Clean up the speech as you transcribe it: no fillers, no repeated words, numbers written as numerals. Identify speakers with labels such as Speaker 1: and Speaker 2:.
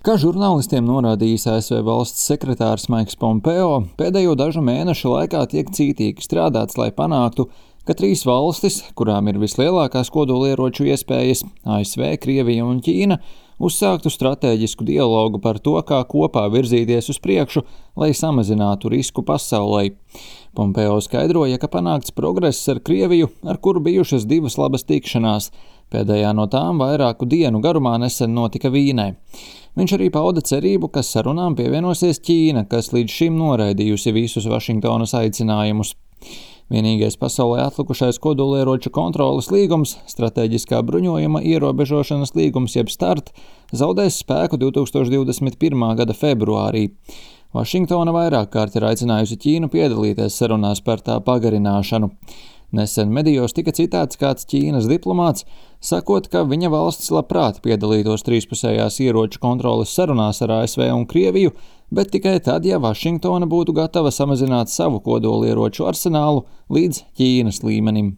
Speaker 1: Kā žurnālistiem norādījis ASV valsts sekretārs Maiks Pompeo, pēdējo dažu mēnešu laikā tiek cītīgi strādāts, lai panāktu, ka trīs valstis, kurām ir vislielākās kodolieroču iespējas - ASV, Krievija un Ķīna, uzsāktu stratēģisku dialogu par to, kā kopā virzīties uz priekšu, lai samazinātu risku pasaulē. Pompeo skaidroja, ka panākts progress ar Krieviju, ar kuru bijušas divas labas tikšanās. Pēdējā no tām vairāku dienu garumā nesen notika Vīnē. Viņš arī pauda cerību, ka sarunām pievienosies Ķīna, kas līdz šim noraidījusi visus Vašingtonas aicinājumus. Vienīgais pasaulē atlikušais kodolieroču kontroles līgums, stratēģiskā bruņojuma ierobežošanas līgums jeb START, zaudēs spēku 2021. gada februārī. Vašingtona vairāk kārt ir aicinājusi Ķīnu piedalīties sarunās par tā pagarināšanu. Nesen medijos tika citēts kāds Ķīnas diplomāts, sakot, ka viņa valsts labprāt piedalītos trīspusējās ieroču kontroles sarunās ar ASV un Krieviju, bet tikai tad, ja Vašingtona būtu gatava samazināt savu kodolieroču arsenālu līdz Ķīnas līmenim.